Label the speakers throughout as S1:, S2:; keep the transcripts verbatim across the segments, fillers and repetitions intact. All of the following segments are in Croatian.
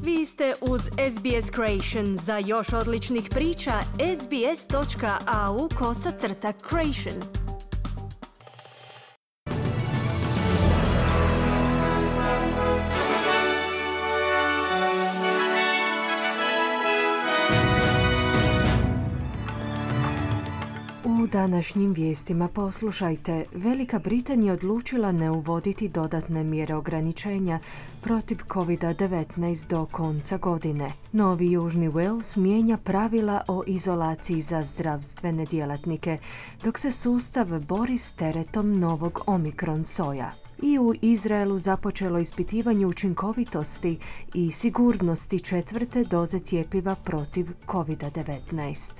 S1: Vi ste uz S B S Creation. Za još odličnih priča, sbs.au kosacrta creation.
S2: U današnjim vijestima poslušajte, Velika Britanija odlučila ne uvoditi dodatne mjere ograničenja protiv covid devetnaest do konca godine. Novi Južni Wales mijenja pravila o izolaciji za zdravstvene djelatnike, dok se sustav bori s teretom novog Omikron soja. I u Izraelu započelo ispitivanje učinkovitosti i sigurnosti četvrte doze cjepiva protiv covid devetnaest.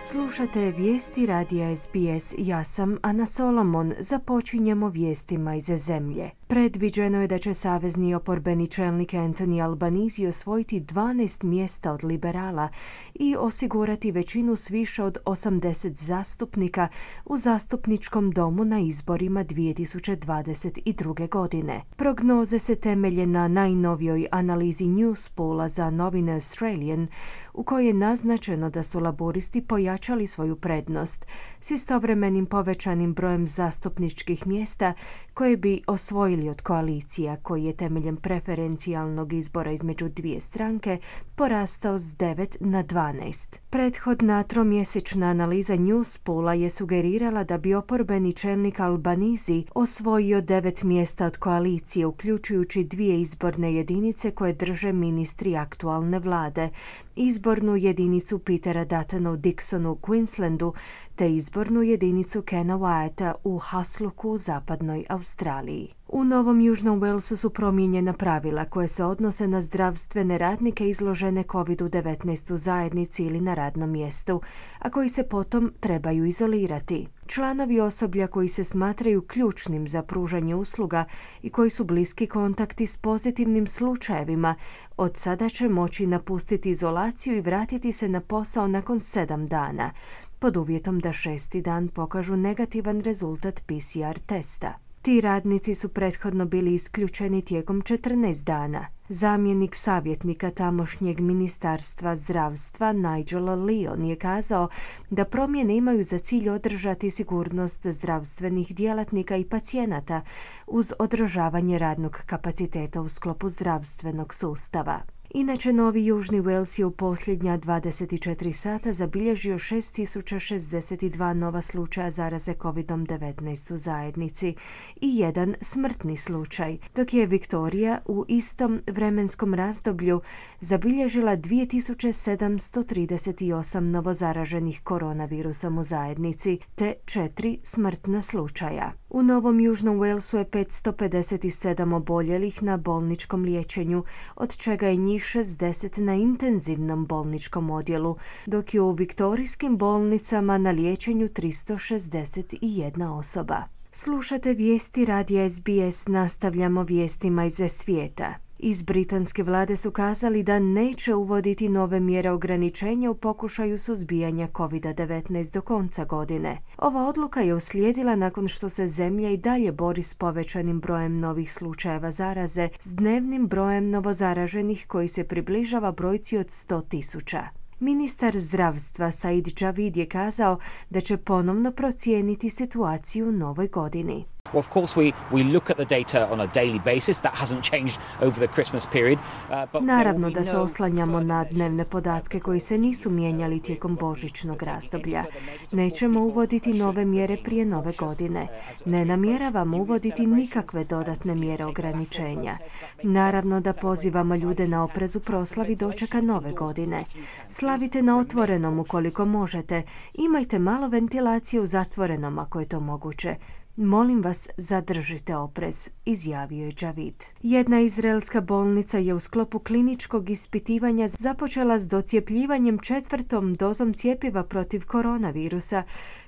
S2: Slušate vijesti radija S B S, ja sam Ana Solomon. Započinjemo vijestima iz zemlje. Predviđeno je da će savezni oporbeni čelnik Anthony Albanese osvojiti dvanaest mjesta od liberala i osigurati većinu s više od osamdeset zastupnika u zastupničkom domu na izborima dvije tisuće dvadeset druge. godine. Prognoze se temelje na najnovijoj analizi Newspoola za novine Australian, u kojoj je naznačeno da su laboristi pojačali svoju prednost s istovremenim povećanim brojem zastupničkih mjesta koje bi osvojili od koalicija, koji je temeljem preferencijalnog izbora između dvije stranke porastao s devet na dvanaest. Prethodna tromjesečna analiza Newspoola je sugerirala da bi oporbeni čelnik Albanese osvojio devet mjesta od koalicije, uključujući dvije izborne jedinice koje drže ministri aktualne vlade, izbornu jedinicu Petera Duttona u Dixonu u Queenslandu te izbornu jedinicu Kena Wyata u Hasluku u zapadnoj Australiji. U Novom Južnom Walesu su promijenjena pravila koje se odnose na zdravstvene radnike izložene covid devetnaest u zajednici ili na radnom mjestu, a koji se potom trebaju izolirati. Članovi osoblja koji se smatraju ključnim za pružanje usluga i koji su bliski kontakti s pozitivnim slučajevima od sada će moći napustiti izolaciju i vratiti se na posao nakon sedam dana, pod uvjetom da šesti dan pokažu negativan rezultat P C R testa. Ti radnici su prethodno bili isključeni tijekom četrnaest dana. Zamjenik savjetnika tamošnjeg ministarstva zdravstva Nigela Leon je kazao da promjene imaju za cilj održati sigurnost zdravstvenih djelatnika i pacijenata uz održavanje radnog kapaciteta u sklopu zdravstvenog sustava. Inače, Novi Južni Wales je u posljednja dvadeset četiri sata zabilježio šest tisuća šezdeset dva nova slučaja zaraze covid devetnaest u zajednici i jedan smrtni slučaj, dok je Viktorija u istom vremenskom razdoblju zabilježila dvije tisuće sedamsto trideset osam novozaraženih koronavirusom u zajednici te četiri smrtna slučaja. U Novom Južnom Walesu je petsto pedeset sedam oboljelih na bolničkom liječenju, od čega je njih šezdeset na intenzivnom bolničkom odjelu, dok je u viktorijskim bolnicama na liječenju tristo šezdeset jedna osoba. Slušate vijesti radija S B S, nastavljamo vijestima iz svijeta. Iz britanske vlade su kazali da neće uvoditi nove mjere ograničenja u pokušaju suzbijanja covid devetnaest do konca godine. Ova odluka je uslijedila nakon što se zemlja i dalje bori s povećanim brojem novih slučajeva zaraze s dnevnim brojem novozaraženih koji se približava brojci od sto tisuća. Ministar zdravstva Said Javid je kazao da će ponovno procijeniti situaciju u novoj godini.
S3: Well, of course, we, we look at the data on a daily basis. That hasn't changed over the Christmas period. Uh, but
S2: Naravno da se oslanjamo na dnevne podatke koji se nisu mijenjali tijekom božićnog razdoblja. Nećemo uvoditi nove mjere prije nove godine. Ne namjeravamo uvoditi nikakve dodatne mjere ograničenja. Naravno da pozivamo ljude na oprez u proslavi dočeka nove godine. Slavite na otvorenom ukoliko možete. Imajte malo ventilacije u zatvorenom ako je to moguće. Molim vas, zadržite oprez, izjavio je Javid. Jedna izraelska bolnica je u sklopu kliničkog ispitivanja započela s docijepljivanjem četvrtom dozom cjepiva protiv koronavirusa,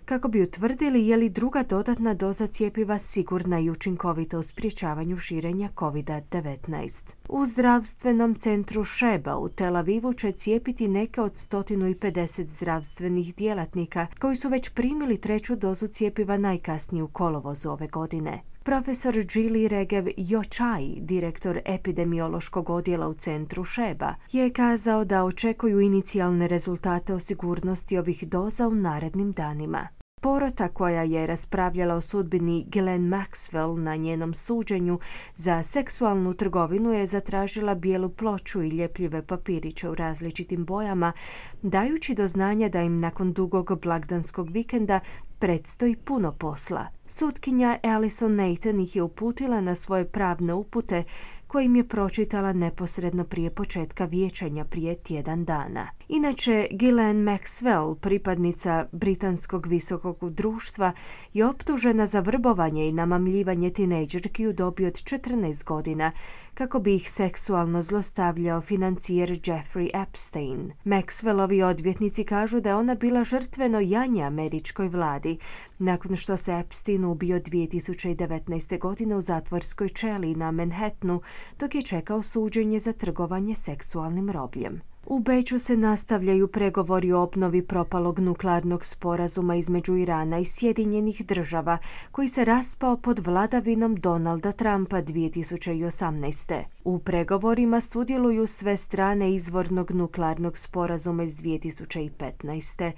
S2: kako bi utvrdili je li druga dodatna doza cjepiva sigurna i učinkovita u sprječavanju širenja kovid devetnaest. U zdravstvenom centru Sheba u Tel Avivu će cijepiti neke od sto pedeset zdravstvenih djelatnika koji su već primili treću dozu cjepiva najkasnije u kolovozu ove godine. Profesor Gili Regev Jochai, direktor epidemiološkog odjela u centru Sheba, je kazao da očekuju inicijalne rezultate o sigurnosti ovih doza u narednim danima. Porota koja je raspravljala o sudbini Ghislaine Maxwell na njenom suđenju za seksualnu trgovinu je zatražila bijelu ploču i ljepljive papiriće u različitim bojama, dajući do znanja da im nakon dugog blagdanskog vikenda predstoji puno posla. Sutkinja Alison Nathan ih je uputila na svoje pravne upute kojim je pročitala neposredno prije početka vijećanja prije tjedan dana. Inače, Ghislaine Maxwell, pripadnica britanskog visokog društva, je optužena za vrbovanje i namamljivanje tinejdžerki u dobi od četrnaest godina, kako bi ih seksualno zlostavljao financijer Jeffrey Epstein. Maxwellovi odvjetnici kažu da je ona bila žrtveno janje američkoj vladi, nakon što se Epstein ubio dvije tisuće devetnaeste. godine u zatvorskoj čeliji na Manhattanu, dok je čekao suđenje za trgovanje seksualnim robljem. U Beču se nastavljaju pregovori o obnovi propalog nuklearnog sporazuma između Irana i Sjedinjenih država, koji se raspao pod vladavinom Donalda Trumpa dvije tisuće osamnaeste. U pregovorima sudjeluju sve strane izvornog nuklearnog sporazuma iz dvije tisuće petnaeste.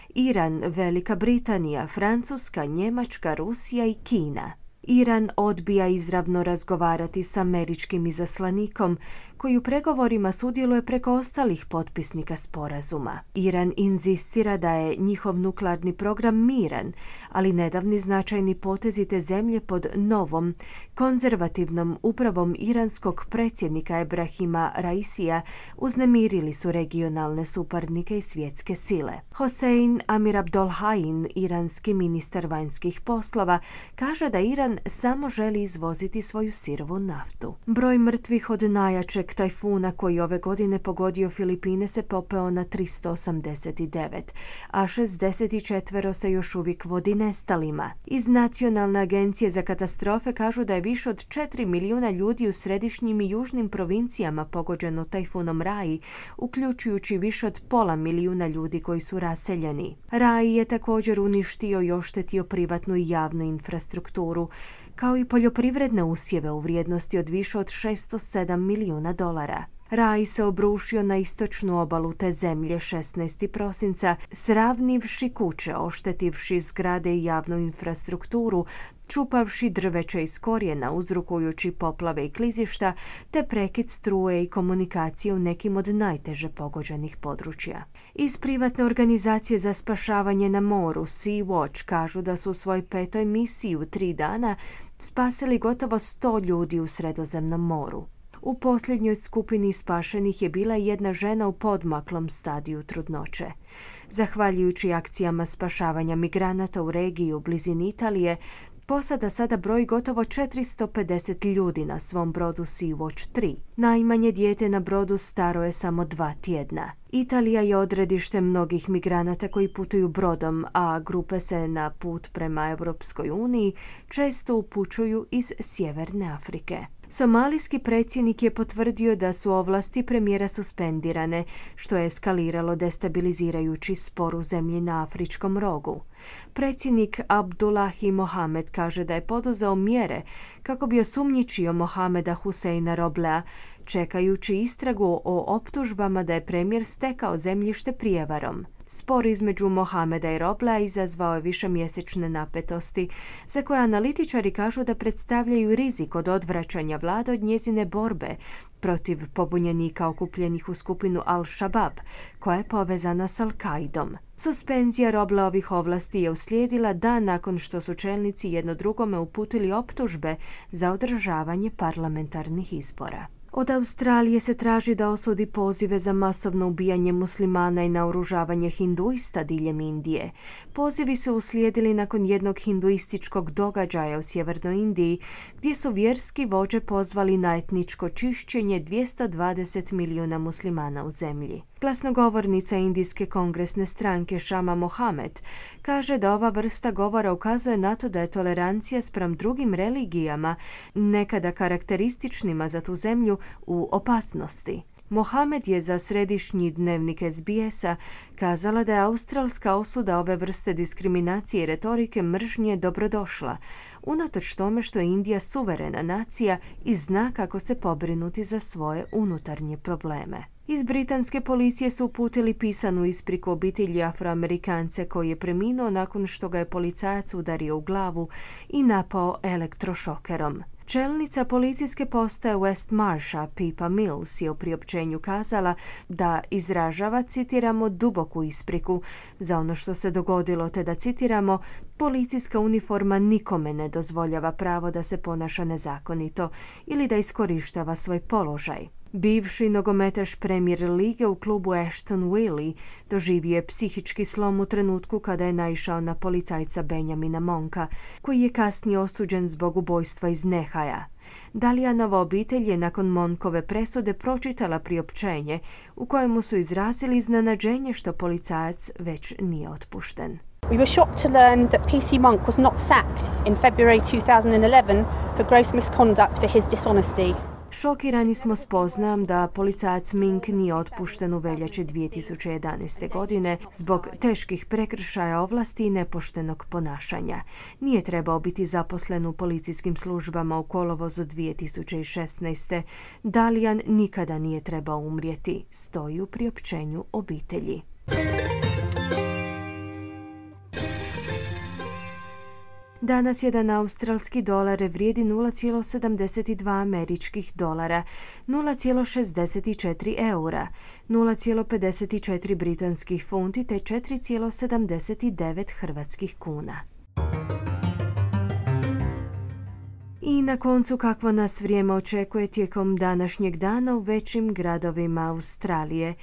S2: Iran, Velika Britanija, Francuska, Njemačka, Rusija i Kina. Iran odbija izravno razgovarati s američkim izaslanikom, koji u pregovorima sudjeluje preko ostalih potpisnika sporazuma. Iran inzistira da je njihov nuklearni program miran, ali nedavni značajni potezi te zemlje pod novom, konzervativnom upravom iranskog predsjednika Ebrahima Raisija uznemirili su regionalne suparnike i svjetske sile. Hossein Amir Abdolhain, iranski ministar vanjskih poslova, kaže da Iran samo želi izvoziti svoju sirovu naftu. Broj mrtvih od najjačeg tajfuna koji ove godine pogodio Filipine se popeo na tristo osamdeset devet, a šezdeset četiri se još uvijek vodi nestalima. Iz Nacionalne agencije za katastrofe kažu da je više od četiri milijuna ljudi u središnjim i južnim provincijama pogođeno tajfunom Rai, uključujući više od pola milijuna ljudi koji su raseljeni. Rai je također uništio i oštetio privatnu i javnu infrastrukturu, kao i poljoprivredne usjeve u vrijednosti od više od šezdeset sedam milijuna dolara. Rai se obrušio na istočnu obalu te zemlje šesnaestog prosinca, sravnivši kuće, oštetivši zgrade i javnu infrastrukturu, čupavši drveće iz korijena, uzrokujući poplave i klizišta, te prekid struje i komunikacije u nekim od najteže pogođenih područja. Iz privatne organizacije za spašavanje na moru Sea-Watch kažu da su u svojoj petoj misiji u tri dana spasili gotovo sto ljudi u Sredozemnom moru. U posljednjoj skupini spašenih je bila jedna žena u podmaklom stadiju trudnoće. Zahvaljujući akcijama spašavanja migranata u regiji u blizini Italije, posada sada broji gotovo četiristo pedeset ljudi na svom brodu Sea-Watch tri. Najmanje dijete na brodu staro je samo dva tjedna. Italija je odredište mnogih migranata koji putuju brodom, a grupe se na put prema Europskoj uniji često upućuju iz Sjeverne Afrike. Somalijski predsjednik je potvrdio da su ovlasti premijera suspendirane, što je eskaliralo destabilizirajući spor u zemlji na Afričkom rogu. Predsjednik Abdullahi Mohamed kaže da je poduzeo mjere kako bi osumnjičio Mohameda Huseina Roblea, čekajući istragu o optužbama da je premijer stekao zemljište prijevarom. Spor između Mohameda i Roblea izazvao je višemjesečne napetosti, za koje analitičari kažu da predstavljaju rizik od odvraćanja vlade od njezine borbe protiv pobunjenika okupljenih u skupinu Al-Shabaab, koja je povezana s Al-Qaidom. Suspenzija Robleovih ovlasti je uslijedila dan nakon što su čelnici jedno drugome uputili optužbe za održavanje parlamentarnih izbora. Od Australije se traži da osudi pozive za masovno ubijanje muslimana i naoružavanje hinduista diljem Indije. Pozivi su uslijedili nakon jednog hinduističkog događaja u sjevernoj Indiji, gdje su vjerski vođe pozvali na etničko čišćenje dvjesto dvadeset milijuna muslimana u zemlji. Glasnogovornica indijske kongresne stranke Shama Mohamed kaže da ova vrsta govora ukazuje na to da je tolerancija spram drugim religijama, nekada karakterističnima za tu zemlju, u opasnosti. Mohamed je za središnji dnevnik S B S-a kazala da je australska osuda ove vrste diskriminacije i retorike mržnje dobrodošla, unatoč tome što je Indija suverena nacija i zna kako se pobrinuti za svoje unutarnje probleme. Iz britanske policije su uputili pisanu ispriku obitelji Afroamerikance koji je preminuo nakon što ga je policajac udario u glavu i napao elektrošokerom. Čelnica policijske postaje West Marsha, Pippa Mills, je u priopćenju kazala da izražava, citiramo, duboku ispriku za ono što se dogodilo, te da, citiramo, policijska uniforma nikome ne dozvoljava pravo da se ponaša nezakonito ili da iskorištava svoj položaj. Bivši nogometaš Premier lige u klubu Ashton Willey doživio je psihički slom u trenutku kada je naišao na policajca Benjamina Monka, koji je kasnije osuđen zbog ubojstva iz nehaja. Dalijanova obitelj je nakon Monkove presude pročitala priopćenje u kojemu su izrazili iznenađenje što policajac već nije otpušten.
S4: We were shocked to learn that P C Monk was not sacked in February two thousand eleven for gross misconduct for his dishonesty.
S2: Šokirani smo spoznajom da policajac Mink nije otpušten u veljači dvije tisuće jedanaeste. godine zbog teških prekršaja ovlasti i nepoštenog ponašanja. Nije trebao biti zaposlen u policijskim službama u kolovozu dvije tisuće šesnaeste. Dalijan nikada nije trebao umrijeti, stoji u priopćenju obitelji. Danas jedan australski dolar vrijedi nula zarez sedamdeset dva američkih dolara, nula zarez šezdeset četiri eura, nula zarez pedeset četiri britanskih funti te četiri zarez sedamdeset devet hrvatskih kuna. I na koncu kakvo nas vrijeme očekuje tijekom današnjeg dana u većim gradovima Australije.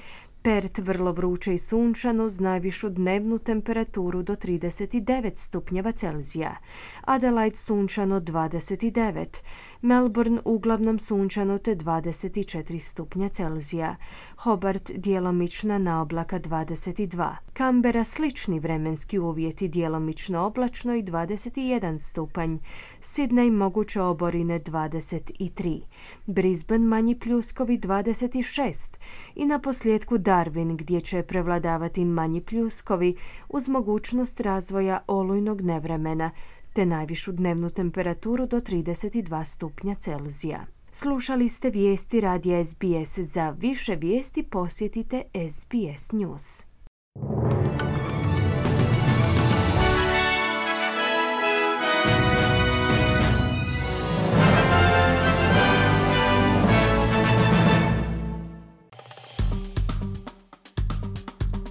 S2: Perth vrlo vruće i sunčano uz najvišu dnevnu temperaturu do trideset devet stupnjeva Celzija. Adelaide sunčano dvadeset devet. Melbourne uglavnom sunčano te dvadeset četiri stupnja Celzija. Hobart djelomična naoblaka dvadeset dva. Canberra slični vremenski uvjeti, djelomično oblačno i dvadeset jedan stupanj. Sydney moguće oborine dvadeset tri. Brisbane manji pljuskovi dvadeset šest. I na posljedku Darwin gdje će prevladavati manji pljuskovi uz mogućnost razvoja olujnog nevremena te najvišu dnevnu temperaturu do trideset dva stupnja Celzija. Slušali ste vijesti radija S B S. Za više vijesti posjetite S B S News.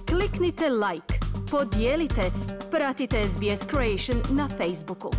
S1: Kliknite like, podijelite, pratite S B S Creation na Facebooku.